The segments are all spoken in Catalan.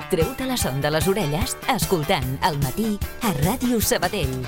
Treu-te la son de les orelles escoltant El Matí a Ràdio Sabadell.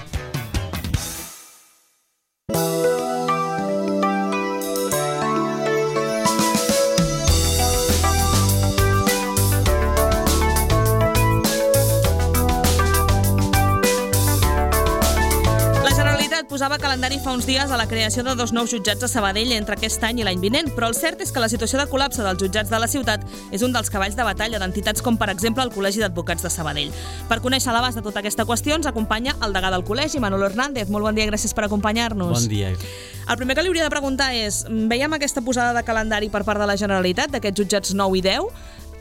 Posava calendari fa uns dies a la creació de 2 nous jutjats a Sabadell entre aquest any i l'any vinent, però el cert és que la situació de col·lapse dels jutjats de la ciutat és un dels cavalls de batalla d'entitats com, per exemple, el Col·legi d'Advocats de Sabadell. Per conèixer l'abast de tota aquesta qüestió ens acompanya el degà del col·legi, Manolo Hernández. Molt bon dia i gràcies per acompanyar-nos. Bon dia. El primer que li hauria de preguntar és, veiem aquesta posada de calendari per part de la Generalitat d'aquests jutjats 9 i 10.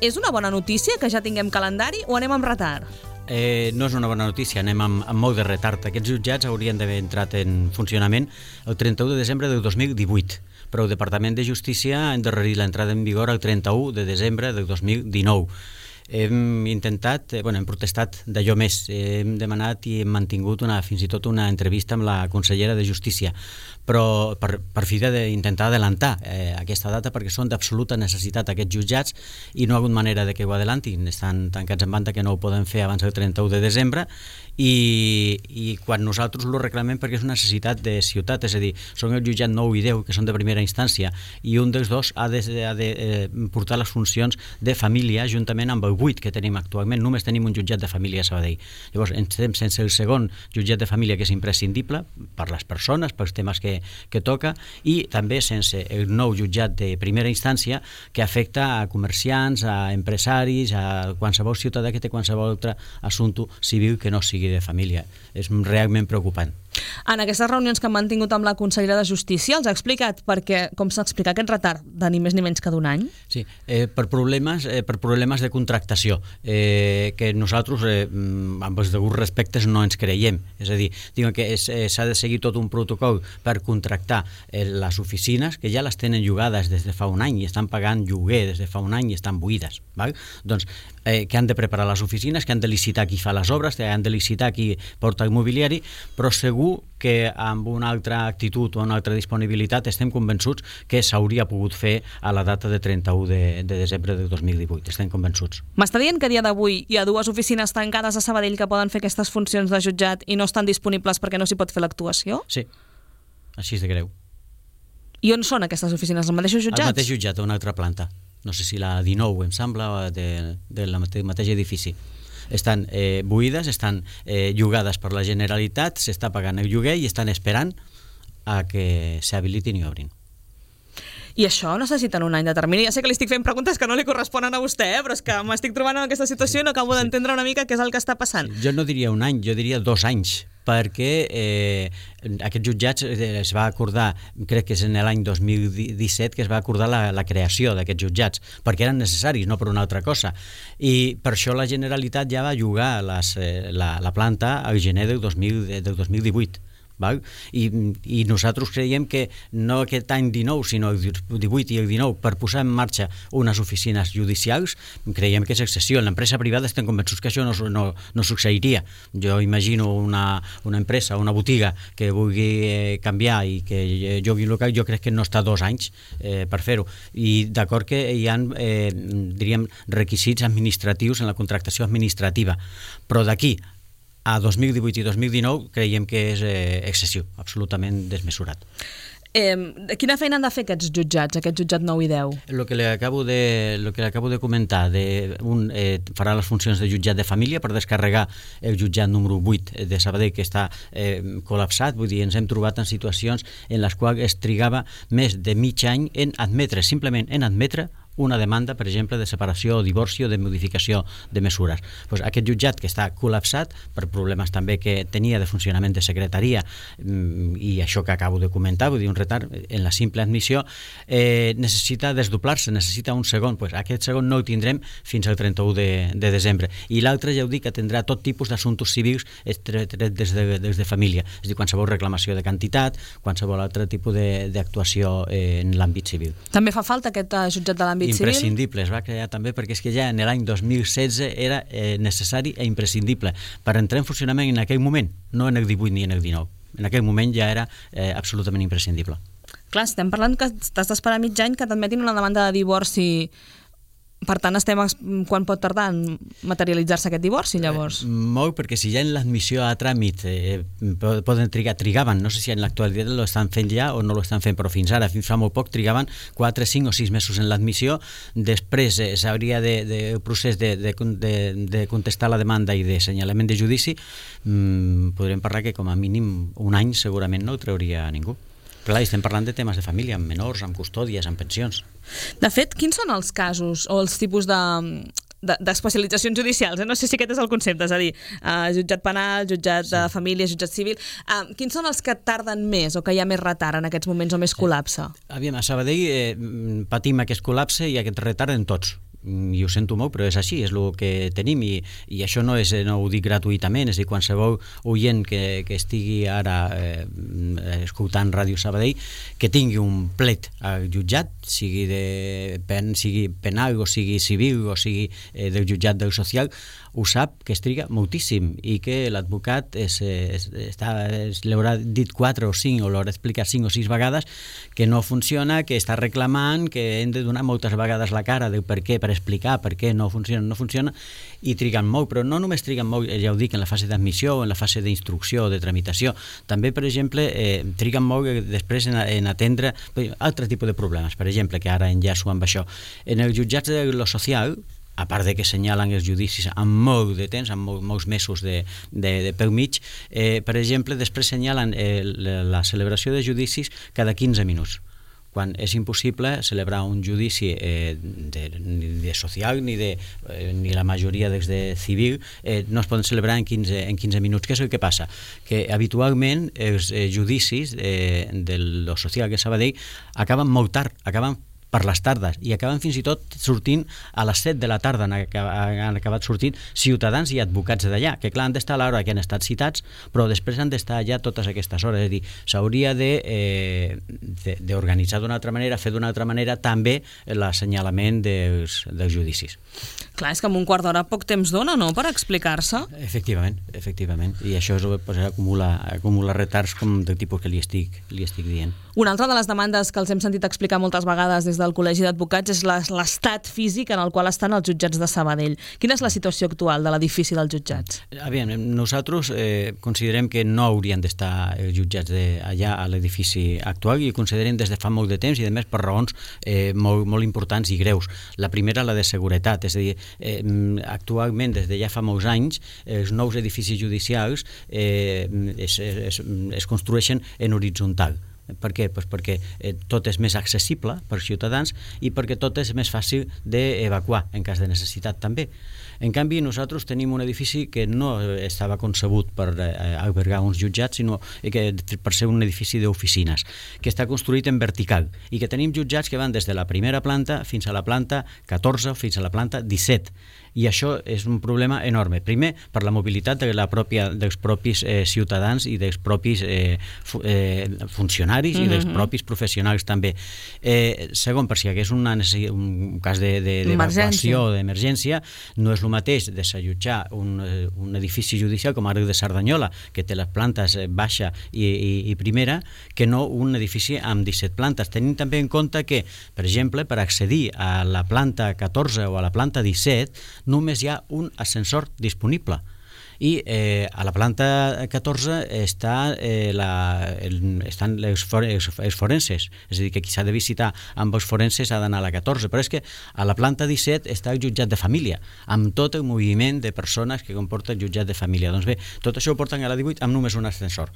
És una bona notícia que ja tinguem calendari o anem amb retard? No és una bona notícia, anem amb molt de retard. Aquests jutjats haurien d'haver entrat en funcionament el 31 de desembre del 2018, però el Departament de Justícia ha endarrerit l'entrada en vigor el 31 de desembre del 2019. Hem intentat, hem protestat d'allò més, hem demanat i hem mantingut fins i tot una entrevista amb la consellera de Justícia, però per fi d'intentar adelantar aquesta data perquè són d'absoluta necessitat aquests jutjats i no hi ha hagut manera de que ho adelantin, estan tancats en banda que no ho poden fer abans del 31 de desembre i quan nosaltres ho reclamem perquè és una necessitat de ciutat, és a dir, són el jutjat 9 i 10 que són de primera instància i un dels dos ha de portar les funcions de família juntament amb el 8 que tenim actualment, només tenim un jutjat de família a Sabadell. Llavors, estem sense el segon jutjat de família que és imprescindible per les persones, pels temes que toca i també sense el nou jutjat de primera instància que afecta a comerciants, a empresaris, a qualsevol ciutadà que té qualsevol altre assumpte civil que no sigui de família. És realment preocupant. En aquestes reunions que han mantingut amb la consellera de Justícia els ha explicat com s'explica aquest retard de ni més ni menys que d'un any? Sí, per problemes de contractació que nosaltres amb els deguts respectes no ens creiem, és a dir, diuen que s'ha de seguir tot un protocol per contractar les oficines que ja les tenen llogades des de fa un any i estan pagant lloguer des de fa un any i estan buides, val? Doncs que han de preparar les oficines, que han de licitar qui fa les obres, que han de licitar qui porta el mobiliari, però segur que amb una altra actitud o una altra disponibilitat estem convençuts que s'hauria pogut fer a la data de 31 de desembre de 2018. Estem convençuts. M'està dient que a dia d'avui hi ha 2 oficines tancades a Sabadell que poden fer aquestes funcions de jutjat i no estan disponibles perquè no s'hi pot fer l'actuació? Sí, així és de greu. I on són aquestes oficines? Els mateixos jutjats? El mateix jutjat, a una altra planta. No sé si la 19, em sembla, del mateix edifici. Estan buides, estan llogades per la Generalitat, s'està pagant el lloguer i estan esperant a que s'habilitin i obrin. I això necessiten un any de termini. Ja sé que li estic fent preguntes que no li corresponen a vostè, però és que m'estic trobant en aquesta situació i no acabo d'entendre una mica què és el que està passant. Jo no diria un any, jo diria 2 anys, perquè aquests jutjats es va acordar, crec que és en l'any 2017 que es va acordar la creació d'aquests jutjats, perquè eren necessaris, no per una altra cosa. I per això la Generalitat ja va llogar la planta al gener del 2018. Val? I nosaltres creiem que no aquest any 19 sinó el 18 i el 19 per posar en marxa unes oficines judicials creiem que és excessiu. En l'empresa privada estem convençuts que això no succeiria. Jo imagino una empresa, una botiga que vulgui canviar i que jogui local, jo crec que no està 2 anys per fer-ho. I d'acord que hi ha diríem requisits administratius en la contractació administrativa, però d'aquí a 2018 i 2019 creiem que és excessiu, absolutament desmesurat. Quina feina han de fer aquests jutjats, aquest jutjat 9 i 10? El que li acabo de comentar, farà les funcions de jutjat de família per descarregar el jutjat número 8 de Sabadell que està col·lapsat, vull dir, ens hem trobat en situacions en les quals es trigava més de mig any en admetre, simplement en admetre una demanda, per exemple, de separació o divorci o de modificació de mesures. Pues aquest jutjat que està col·lapsat per problemes també que tenia de funcionament de secretaria i això que acabo de comentar, vull dir, un retard en la simple admissió, necessita desdoblar-se, necessita un segon. Pues aquest segon no el tindrem fins al 31 de desembre. I l'altre, ja ho dic, atendrà tot tipus d'assumptes civils tret des de família, és a dir, qualsevol reclamació de quantitat, qualsevol altre tipus d'actuació en l'àmbit civil. També fa falta aquest jutjat de l'àmbit imprescindible, es va crear també perquè és que ja en l'any 2016 era necessari i imprescindible per entrar en funcionament en aquell moment, no en el 18 ni en el 19. En aquell moment ja era absolutament imprescindible. Clar, estem parlant que t'has d'esperar mig any que t'admetin una demanda de divorci Per tant, quan pot tardar en materialitzar-se aquest divorci, llavors? Molt, perquè si ja en l'admissió a tràmit poden trigaven, no sé si en l'actualitat lo estan fent ja o no lo estan fent, però fins ara, fins fa molt poc, trigaven 4, 5 o 6 mesos en l'admissió. Després s'hauria el procés de contestar la demanda i de senyalament de judici. Podríem parlar que com a mínim un any segurament no ho trauria ningú. Clar, estem parlant de temes de família, amb menors, amb custòdies, amb pensions. De fet, quins són els casos o els tipus d'especialitzacions judicials? No sé si aquest és el concepte, és a dir, jutjat penal, jutjat de família, jutjat civil. Quins són els que tarden més o que hi ha més retard en aquests moments o més col·lapse? Aviam, a Sabadell patim aquest col·lapse i aquest retard en tots. I ho sento molt, però és així, és el que tenim i això no ho dic gratuïtament, és a dir, qualsevol oient que estigui ara escoltant Ràdio Sabadell, que tingui un plet al jutjat, sigui penal o sigui civil o sigui del jutjat del social, ho sap que es triga moltíssim i que l'advocat l'haurà dit 4 o 5 o l'haurà explicat 5 o 6 vegades que no funciona, que està reclamant, que hem de donar moltes vegades la cara del per què, per explicar per què no funciona, i triguen molt, però no només triguen molt, ja ho dic, en la fase d'admissió o en la fase d'instrucció o de tramitació, també, per exemple, triguen molt després en atendre altres tipus de problemes, per exemple, que ara enllaço amb això. En els jutjats de lo social, a part de que senyalen els judicis amb molt de temps, amb molts mesos de pel mig, per exemple, després senyalen la celebració de judicis cada 15 minuts, quan és impossible celebrar un judici ni de social ni la majoria dels de civil no es poden celebrar en 15 minuts. Què és el que passa? Que habitualment els judicis de lo social que Sabadell acaben molt tard, acaben per les tardes, i acaben fins i tot sortint a les 7 de la tarda, han acabat sortint ciutadans i advocats d'allà, que clar, han d'estar a l'hora que han estat citats, però després han d'estar allà totes aquestes hores, és a dir, s'hauria d'organitzar d'una altra manera, fer d'una altra manera també l'assenyalament dels judicis. Clar, és que amb un quart d'hora poc temps dona, no?, per explicar-se. Efectivament, i això acumula retards com del tipus que li estic dient. Una altra de les demandes que els hem sentit explicar moltes vegades des del Col·legi d'Advocats és l'estat físic en el qual estan els jutjats de Sabadell. Quina és la situació actual de l'edifici dels jutjats? Aviam, nosaltres considerem que no haurien d'estar els jutjats allà a l'edifici actual, i ho considerem des de fa molt de temps i a més per raons molt importants i greus. La primera, la de seguretat, és a dir, actualment des de ja fa molts anys els nous edificis judicials es construeixen en horitzontal. Per què? Pues perquè tot és més accessible per ciutadans i perquè tot és més fàcil d'evacuar en cas de necessitat també. En canvi, nosaltres tenim un edifici que no estava concebut per albergar uns jutjats, sinó que per ser un edifici d'oficines, que està construït en vertical i que tenim jutjats que van des de la primera planta fins a la planta 14 fins a la planta 17. I això és un problema enorme. Primer, per la mobilitat dels propis ciutadans i dels propis funcionaris i dels propis professionals també. Segon, per si hi hagués un cas d'evacuació o d'emergència, no és el mateix desallotjar un edifici judicial com ara el de Cerdanyola, que té les plantes baixa i primera, que no un edifici amb 17 plantes. Tenim també en compte que, per exemple, per accedir a la planta 14 o a la planta 17, només hi ha un ascensor disponible. I a la planta 14 estan els forenses, és a dir, que qui s'ha de visitar amb els forenses ha d'anar a la 14, però és que a la planta 17 està el jutjat de família, amb tot el moviment de persones que comporta el jutjat de família. Doncs bé, tot això ho porten a la 18 amb només un ascensor.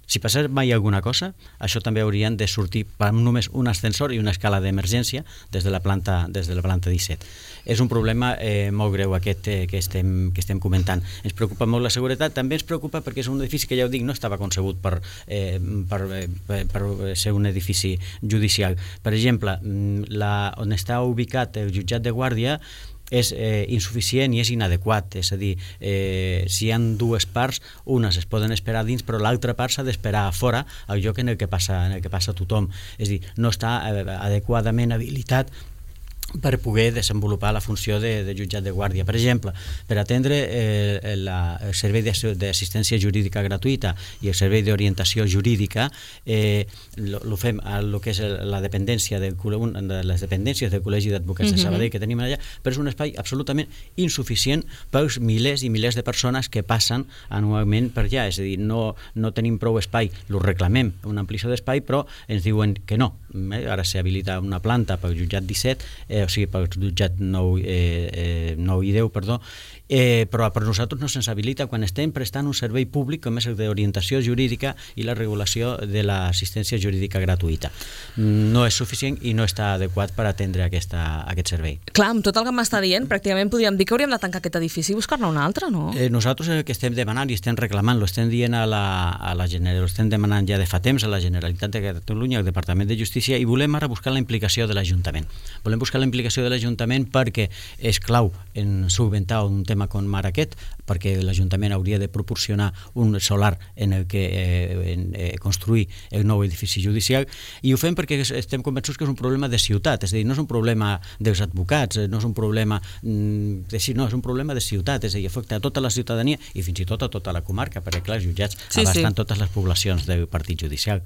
Si passés mai alguna cosa, això també haurien de sortir amb només un ascensor i una escala d'emergència des de la planta 17. És un problema molt greu aquest que estem comentant. Ens preocupa molt la seguretat, també ens preocupa perquè és un edifici que, ja ho dic, no estava concebut per ser un edifici judicial. Per exemple, on està ubicat el jutjat de guàrdia és insuficient i és inadequat, és a dir, si hi ha dues parts, unes es poden esperar dins, però l'altra part s'ha d'esperar a fora, al lloc en el que passa tothom, és a dir, no està adequadament habilitat per poder desenvolupar la funció de jutjat de guàrdia. Per exemple, per atendre el servei d'assistència jurídica gratuïta i el servei d'orientació jurídica, ho fem a lo que és la dependència de les dependències del Col·legi d'Advocats de Sabadell que tenim allà, però és un espai absolutament insuficient pels milers i milers de persones que passen anualment per allà. És a dir, no tenim prou espai, ho reclamem, una ampliació d'espai, però ens diuen que no. Ara s'habilita una planta pel jutjat 17, o sigui, pel jutjat 9 i 10, perdó, però per nosaltres no se'ns habilita quan estem prestant un servei públic com és el d'orientació jurídica i la regulació de l'assistència jurídica gratuïta. No és suficient i no està adequat per atendre aquest servei. Clar, amb tot el que m'està dient, pràcticament podríem dir que hauríem de tancar aquest edifici i buscar-ne un altre, no? Nosaltres el que estem demanant i estem reclamant, l'estem dient l'estem demanant ja de fa temps a la Generalitat de Catalunya, al Departament de Justícia, i volem ara buscar la implicació de l'Ajuntament. Volem buscar la implicació de l'Ajuntament perquè és clau en solventar un tema com ara aquest, perquè l'Ajuntament hauria de proporcionar un solar en el que construir el nou edifici judicial, i ho fem perquè estem convençuts que és un problema de ciutat, és a dir, no és un problema dels advocats, no és un problema és un problema de ciutat, és a dir, afecta a tota la ciutadania i fins i tot a tota la comarca, perquè clar, els jutjats abasten totes les poblacions del partit judicial.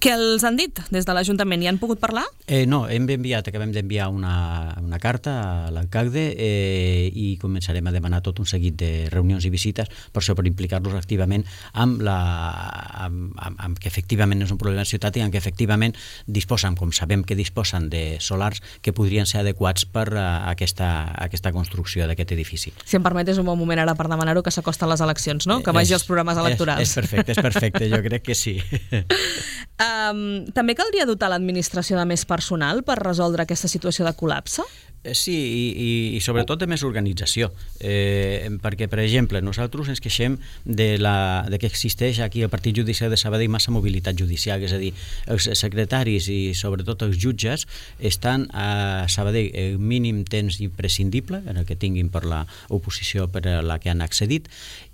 Què els han dit des de l'Ajuntament? Hi han pogut parlar? No, acabem d'enviar una carta a l'alcalde i començarem a demanar tot un seguit de reunions i visites per implicar-los activament amb que efectivament és un problema de ciutat i amb que efectivament disposen, com sabem que disposen de solars que podrien ser adequats per a aquesta construcció d'aquest edifici. Si em permet, és un bon moment ara per demanar-ho, que s'acosten les eleccions, no? Que vagi als programes electorals. És perfecte, jo crec que sí. També caldria dotar l'administració de més personal per resoldre aquesta situació de col·lapse? Sí, i sobretot de més organització, perquè, per exemple, nosaltres ens queixem de que existeix aquí al Partit Judicial de Sabadell massa mobilitat judicial, és a dir, els secretaris i sobretot els jutges estan a Sabadell el mínim temps imprescindible, en el que tinguin per l'oposició per a la que han accedit,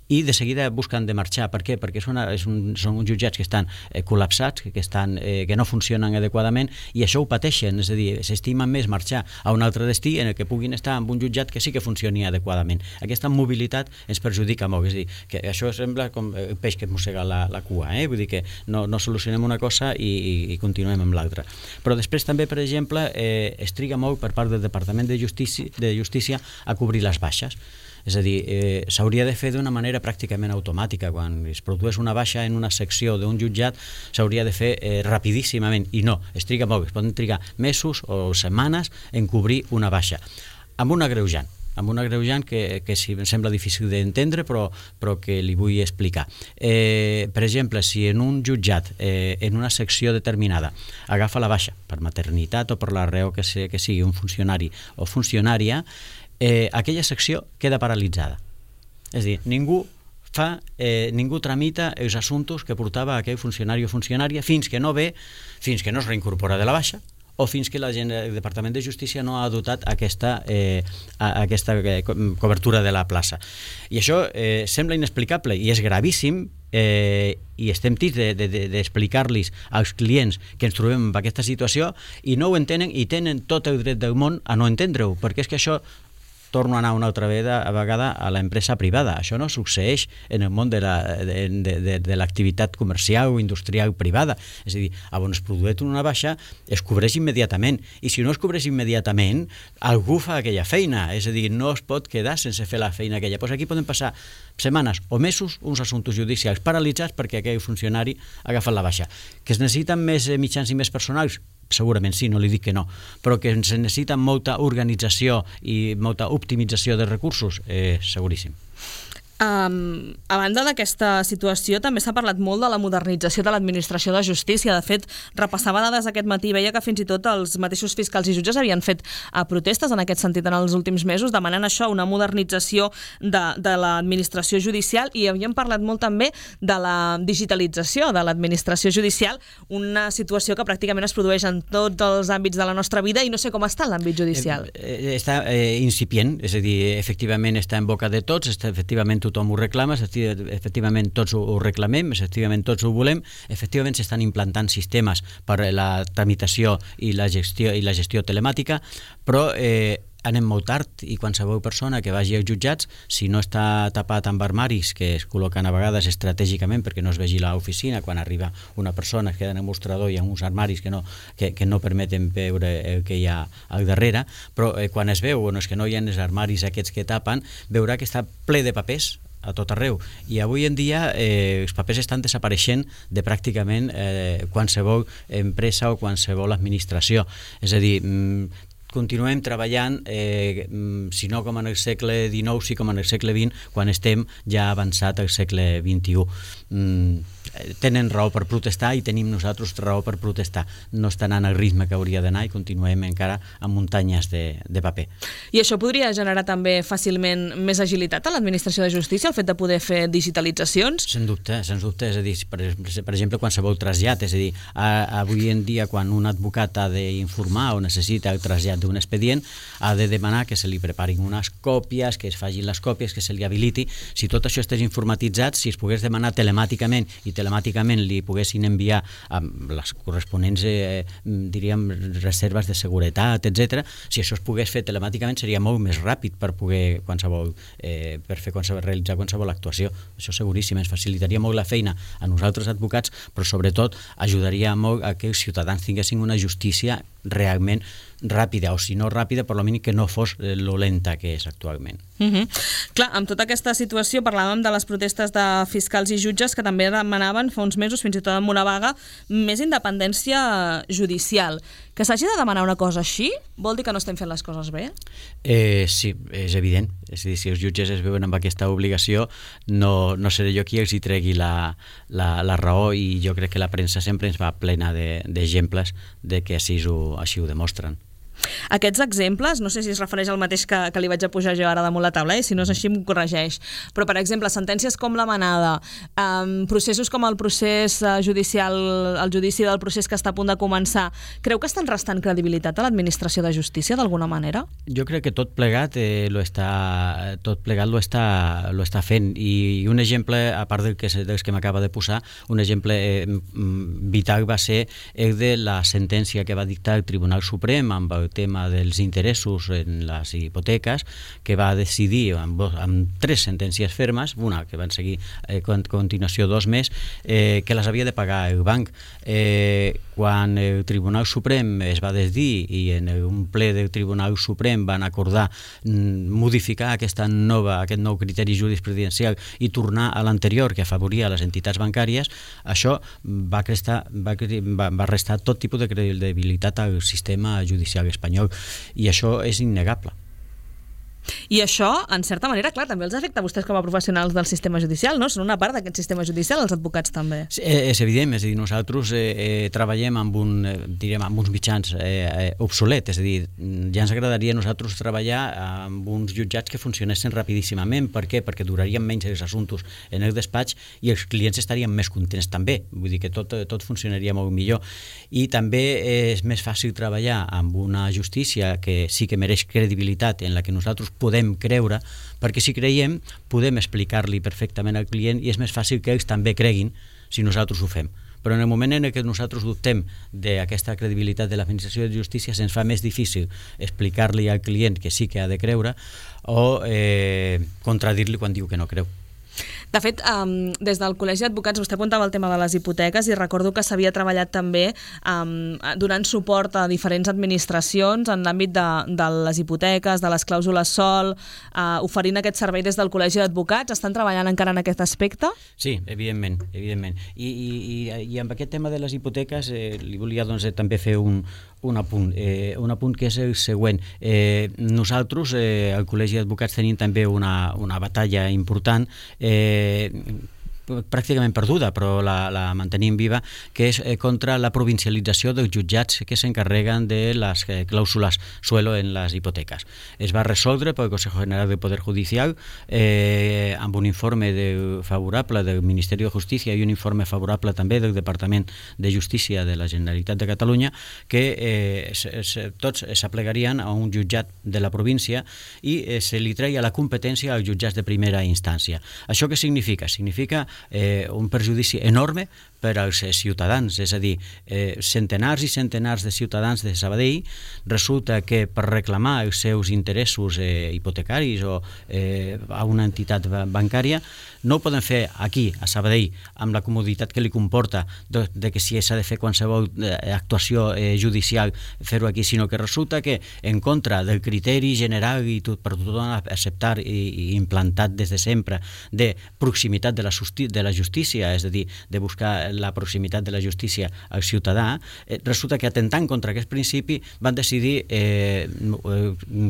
i de seguida busquen de marxar. Per què? Perquè són uns jutjats que estan col·lapsats, que no funcionen adequadament, i això ho pateixen, és a dir, s'estimen més marxar a un altre destí en el que puguin estar amb un jutjat que sí que funcioni adequadament. Aquesta mobilitat ens perjudica molt, és a dir, que això sembla com el peix que mossega la cua, vull dir que no solucionem una cosa i continuem amb l'altra. Però després també, per exemple, es triga molt per part del Departament de Justícia a cobrir les baixes. És a dir, s'hauria de fer d'una manera pràcticament automàtica. Quan es produeix una baixa en una secció d'un jutjat, s'hauria de fer rapidíssimament, i no, es triga molt, es poden trigar mesos o setmanes en cobrir una baixa, amb un agreujant que sí, em sembla difícil d'entendre, però que li vull explicar. Per exemple, si en un jutjat, en una secció determinada, agafa la baixa per maternitat o per la raó que sigui un funcionari o funcionària, aquella secció queda paralitzada. És a dir, ningú tramita els assumptes que portava aquell funcionari o funcionària fins que no es reincorpora de la baixa o fins que el Departament de Justícia no ha dotat aquesta cobertura de la plaça. I això sembla inexplicable i és gravíssim, i estem tips d'explicar-los als clients que ens trobem en aquesta situació i no ho entenen i tenen tot el dret del món a no entendre-ho, perquè és que això torno a anar una altra vegada a l'empresa privada. Això no succeeix en el món de l'activitat comercial o industrial privada. És a dir, on es produeix una baixa, es cobreix immediatament. I si no es cobreix immediatament, algú fa aquella feina. És a dir, no es pot quedar sense fer la feina aquella. Doncs aquí poden passar setmanes o mesos uns assumptes judicials paralitzats perquè aquell funcionari ha agafat la baixa. Que es necessiten més mitjans i més personals? Segurament sí, no li dic que no, però que se necessita molta organització i molta optimització de recursos, seguríssim. A banda d'aquesta situació, també s'ha parlat molt de la modernització de l'administració de justícia. De fet, repassava dades aquest matí i veia que fins i tot els mateixos fiscals i jutges havien fet protestes en aquest sentit en els últims mesos, demanant això, una modernització de l'administració judicial, i havíem parlat molt també de la digitalització de l'administració judicial, una situació que pràcticament es produeix en tots els àmbits de la nostra vida, i no sé com està en l'àmbit judicial. Està incipient, és a dir, efectivament està en boca de tots, efectivament tothom ho reclama, efectivament tots ho reclamem, efectivament tots ho volem, efectivament s'estan implantant sistemes per a la tramitació i la gestió telemàtica, però anem molt tard i qualsevol persona que vagi als jutjats, si no està tapat amb armaris que es col·loquen a vegades estratègicament perquè no es vegi l'oficina, quan arriba una persona es queda en el mostrador i hi ha uns armaris que no permeten veure el que hi ha al darrere, però quan es veu, és que no hi ha els armaris aquests que tapen, veurà que està ple de papers a tot arreu, i avui en dia els papers estan desapareixent de pràcticament qualsevol empresa o qualsevol administració, és a dir, continuem treballant, si no com en el segle XIX, sí com en el segle XX, quan estem ja avançat al segle XXI. Tenen raó per protestar i tenim nosaltres raó per protestar. No està anant al ritme que hauria d'anar i continuem encara amb muntanyes de paper. I això podria generar també fàcilment més agilitat a l'administració de justícia, el fet de poder fer digitalitzacions? Sens dubte, és a dir, per exemple, qualsevol trasllat, és a dir, avui en dia quan un advocat ha d'informar o necessita el trasllat d'un expedient, ha de demanar que se li preparin unes còpies, que es facin les còpies, que se li habiliti. Si tot això estigués informatitzat, si es pogués demanar telemàticament i telemàticament li poguessin enviar amb les corresponents, diríem, reserves de seguretat, etc. Si això es pogués fer telemàticament seria molt més ràpid per poder realitzar qualsevol actuació. Això seguríssim, ens facilitaria molt la feina a nosaltres advocats, però sobretot ajudaria molt a que els ciutadans tinguessin una justícia realment ràpida, o si no ràpida, per lo mínim que no fos lo lenta que és actualment. Clar, amb tota aquesta situació parlàvem de les protestes de fiscals i jutges que també demanaven fa uns mesos, fins i tot amb una vaga, més independència judicial. Que s'hagi de demanar una cosa així vol dir que no estem fent les coses bé? Sí, és evident. És a dir, si els jutges es veuen amb aquesta obligació, no seré jo qui els hi tregui la raó, i jo crec que la premsa sempre ens va plena d'exemples de que així ho demostren. Aquests exemples, no sé si es refereix al mateix que li vaig a pujar jo ara damunt la taula, si no és així em corregeix, però per exemple, sentències com la manada, processos com el procés judicial, el judici del procés que està a punt de començar, creu que estan restant credibilitat a l'administració de justícia d'alguna manera? Jo crec que tot plegat lo està fent, i un exemple, a part dels que m'acaba de posar, un exemple vital va ser el de la sentència que va dictar el Tribunal Suprem amb el tema dels interessos en les hipoteques, que va decidir amb 3 sentències fermes, una que van seguir a continuació 2 més, que les havia de pagar el banc. Quan el Tribunal Suprem es va decidir i en un ple del Tribunal Suprem van acordar modificar aquest nou criteri jurisprudencial i tornar a l'anterior que afavoria les entitats bancàries, això va restar tot tipus de credibilitat al sistema judicial espanyol, i això és innegable. I això, en certa manera, clar, també els afecta a vostès com a professionals del sistema judicial, no? Són una part d'aquest sistema judicial, els advocats també. Sí, és evident, és a dir, nosaltres treballem amb uns mitjans obsolets, és a dir, ja ens agradaria a nosaltres treballar amb uns jutjats que funcionessin rapidíssimament. Per què? Perquè durarien menys els assumptes en el despatx i els clients estarien més contents també, vull dir que tot funcionaria molt millor. I també és més fàcil treballar amb una justícia que sí que mereix credibilitat, en la que nosaltres podem creure, perquè si creiem podem explicar-li perfectament al client i és més fàcil que ells també creguin si nosaltres ho fem. Però en el moment en què nosaltres dubtem d'aquesta credibilitat de l'administració de justícia, se'ns fa més difícil explicar-li al client que sí que ha de creure o contradir-li quan diu que no creu. De fet, des del Col·legi d'Advocats vostè apuntava el tema de les hipoteques i recordo que s'havia treballat també donant suport a diferents administracions en l'àmbit de les hipoteques, de les clàusules SOL, oferint aquest servei des del Col·legi d'Advocats. Estan treballant encara en aquest aspecte? Sí, evidentment. I amb aquest tema de les hipoteques li volia també fer un apunt que és el següent. Nosaltres, al Col·legi d'Advocats, tenim també una batalla important pràcticament perduda, però la mantenim viva, que és contra la provincialització dels jutjats que s'encarreguen de les clàusules suelo en les hipoteques. Es va resoldre pel Consejo General del Poder Judicial amb un informe favorable del Ministeri de Justícia i un informe favorable també del Departament de Justícia de la Generalitat de Catalunya, que tots s'aplegarien a un jutjat de la província i se li treia la competència als jutjats de primera instància. Això què significa? Significa un perjudici enorme per als ciutadans, és a dir, centenars i centenars de ciutadans de Sabadell resulta que per reclamar els seus interessos hipotecaris o a una entitat bancària no ho poden fer aquí, a Sabadell, amb la comoditat que li comporta de que si s'ha de fer qualsevol actuació judicial fer-ho aquí, sinó que resulta que en contra del criteri general i per tothom acceptar i implantat des de sempre de proximitat de la justícia, és a dir, de buscar la proximitat de la justícia al ciutadà, resulta que atentant contra aquest principi van decidir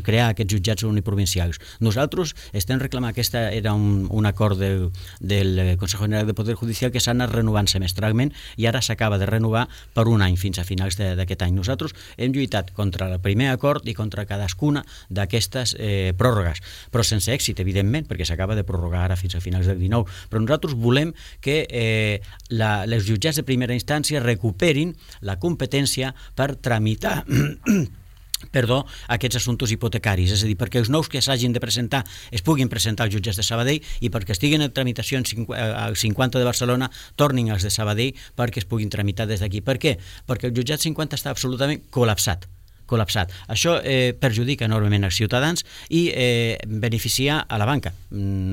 crear aquests jutjats uniprovincials. Nosaltres estem reclamant, aquesta era un acord del Consejo General del Poder Judicial que s'ha anat renovant semestralment i ara s'acaba de renovar per un any fins a finals d'aquest any. Nosaltres hem lluitat contra el primer acord i contra cadascuna d'aquestes pròrrogues, però sense èxit, evidentment, perquè s'acaba de prorrogar ara fins a finals del 19. Però nosaltres volem que els jutjats de primera instància recuperin la competència per tramitar aquests assumptes hipotecaris, és a dir, perquè els nous que s'hagin de presentar es puguin presentar als jutjats de Sabadell i perquè estiguin en tramitació als 50 de Barcelona tornin als de Sabadell perquè es puguin tramitar des d'aquí. Per què? Perquè el jutjat 50 està absolutament col·lapsat. Això perjudica enormement els ciutadans i beneficia a la banca,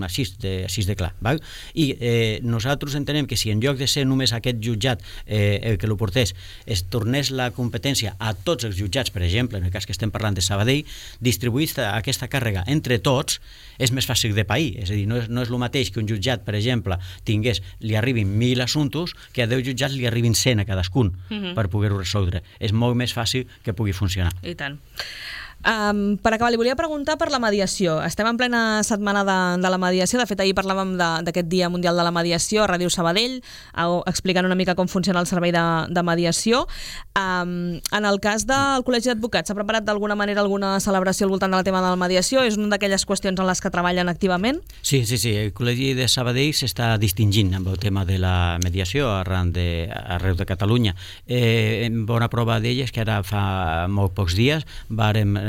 així de clar. Val? I nosaltres entenem que si en lloc de ser només aquest jutjat el que lo portés, es tornés la competència a tots els jutjats, per exemple, en el cas que estem parlant de Sabadell, distribuir aquesta càrrega entre tots és més fàcil de pair. És a dir, no és el mateix que un jutjat, per exemple, li arribin 1.000 assumptes que a 10 jutjats li arribin 100 a cadascun per poder-ho resoldre. És molt més fàcil que pugui funcionar. I tant. Per acabar, li volia preguntar per la mediació. Estem en plena setmana de la mediació. De fet, ahir parlàvem d'aquest Dia Mundial de la Mediació a Ràdio Sabadell, explicant una mica com funciona el servei de mediació. En el cas del Col·legi d'Advocats, s'ha preparat d'alguna manera alguna celebració al voltant del tema de la mediació? És una d'aquelles qüestions en les que treballen activament? Sí. El Col·legi de Sabadell s'està distingint amb el tema de la mediació arreu de Catalunya. Bona prova d'ella és que ara fa molt pocs dies vàrem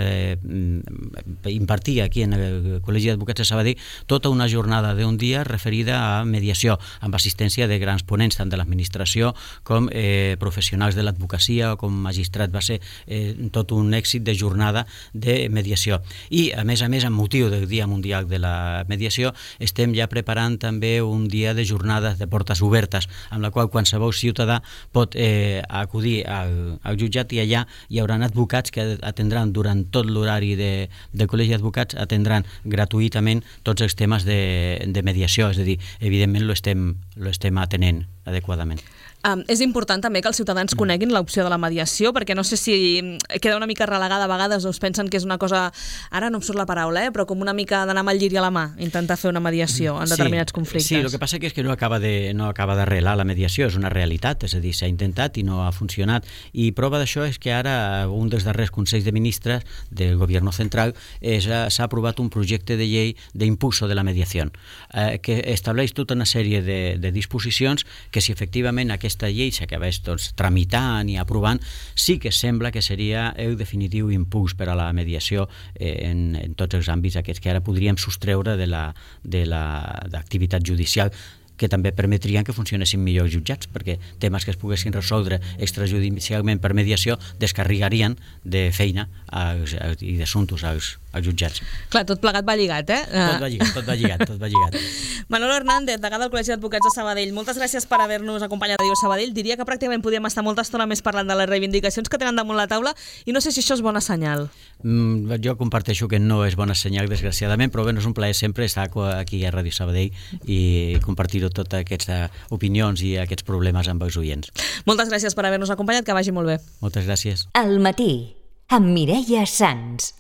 impartir aquí en el Col·legi d'Advocats de Sabadell tota una jornada d'un dia referida a mediació, amb assistència de grans ponents, tant de l'administració com professionals de l'advocacia o com magistrat. Va ser tot un èxit de jornada de mediació. I, a més, amb motiu del Dia Mundial de la Mediació, estem ja preparant també un dia de jornada de portes obertes, amb la qual qualsevol ciutadà pot acudir al jutjat i allà hi haurà advocats que atendran durant tot l'horari del Col·legi d'Advocats, atendran gratuïtament tots els temes de mediació, és a dir, evidentment lo estem atenent adequadament. És important també que els ciutadans coneguin l'opció de la mediació, perquè no sé si queda una mica relegada a vegades, o es pensen que és una cosa, ara no em surt la paraula, però com una mica d'anar amb el lliri a la mà, intentar fer una mediació en determinats conflictes. Sí, el que passa és que no acaba d'arrelar la mediació, és una realitat, és a dir, s'ha intentat i no ha funcionat, i prova d'això és que ara un dels darrers Consells de Ministres del Gobierno Central s'ha aprovat un projecte de llei d'impulso de la mediació, que estableix tota una sèrie de disposicions que si efectivament aquesta llei s'acabés tramitant i aprovant, sí que sembla que seria el definitiu impuls per a la mediació en tots els àmbits aquests que ara podríem sostreure de l'activitat judicial, que també permetrien que funcionessin millor els jutjats, perquè temes que es poguessin resoldre extrajudicialment per mediació descarregarien de feina i d'assumptes als jutjats. Clar, tot plegat va lligat, eh? Tot va lligat. Manolo Hernández, degà del Col·legi d'Advocats de Sabadell, moltes gràcies per haver-nos acompanyat a Ràdio Sabadell. Diria que pràcticament podíem estar molta estona més parlant de les reivindicacions que tenen damunt la taula i no sé si això és bona senyal. Jo comparteixo que no és bona senyal, desgraciadament, però bé, és un plaer sempre estar aquí a Ràdio Sabadell i compartir totes aquestes opinions i aquests problemes amb els oients. Moltes gràcies per haver-nos acompanyat, que vagi molt bé. Moltes gràcies. Al matí, amb Mireia Sans.